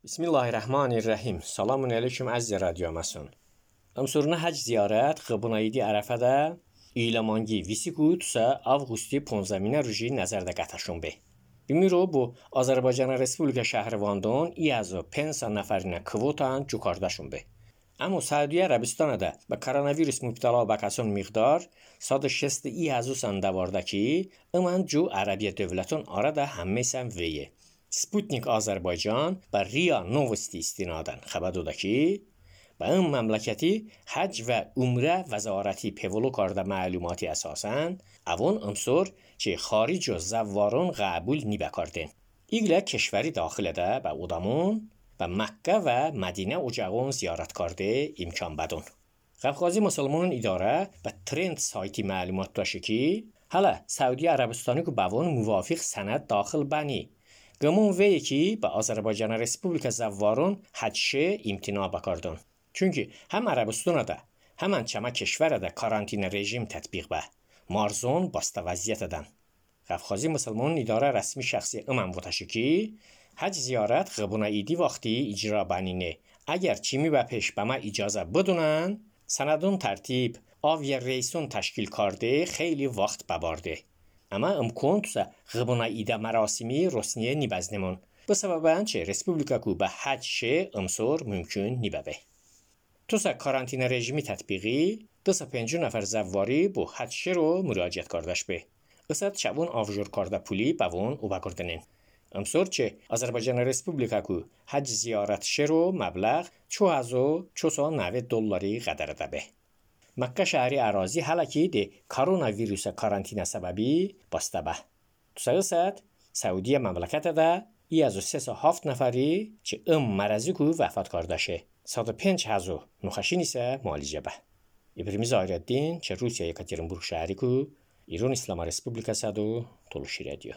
Bismillahirrahmanirrahim. Salamun aleyküm əziz radiomasun. Amsuruna hac ziyarət xıbunaydi ərəfədə İlamangi visiku tusa avqusti 15 ruji nəzərdə qətəşun be. Bimiro bu Azərbaycan Respublika şəhrivandan İazı pensa nəfərinə kvotan cukardaşun be. Amma Səudiyyə Ərəbistanıda və koronavirus mübtəla bakasun miqdar 160 İazısan davardaki ıman cu Ərəbiyə dövlətin arada həmməsən veye. Sputnik Azərbaycan və RIA Novosti istinadən xəbər oda ki, və این məmləkəti hac və umrə vəzarəti pevolokarda məlumatı əsasən, avon امسور که خارج و زواران قبول نیبکاردن. ایگله کشوری داخل ده و اودامون و مکه و مدینه اجاقون زیارت کرده امکان بدون. قفقازی مسلمانان اداره و ترند سایتی معلومات داشته که حالا سعودی عربستانی که بوان موافق سند داخل بنی. گمون وی که به آذربایجان رسپوبلیک زوارون حجشه امتناع بکردن. چونکه هم عربستان ده همان چما کشور ده کارانتین رژیم تطبیق به مارزون باسته وضعیت دن. قفقازی مسلمان اداره رسمی شخصی امام بودشه که حج زیارت قبونه ایدی وقتی اجرا بنینه. اگر چیمی و پیش به ما اجازه بدونن سندون ترتیب آوی ریسون تشکیل کرده خیلی وقت ببارده. اما امکان توسا قبونه ایده مراسمی رسنیه نیبزنمون. به سبب انچه رسپوبلیکا کو به حج شه امسور ممکن نیبه. توسا کارانتین رژیمی تطبیقی 250 نفر زواری با حج شه رو مراجعت کردش به. اسد شبون آفجور کرده پولی بوون او بکردنین. امسور چه آذربایجان رسپوبلیکا کو حج زیارت شه رو مبلغ 2490 دلاری قدر به. مکه شهری اراضی حالا که ده کرونا ویروس کارانتین سببی بسته به. تو ساعت سعودی مملکت ده ای از 307 نفری چه مرضی کو وفات کرده شه. 105,000 نخشی نیسه معالجه به. ابراهیم زاهرالدین چه روسیه یکاترینبورگ شهری کو ایران اسلامی رسپوبلیکا صدو تلوشی رادیو.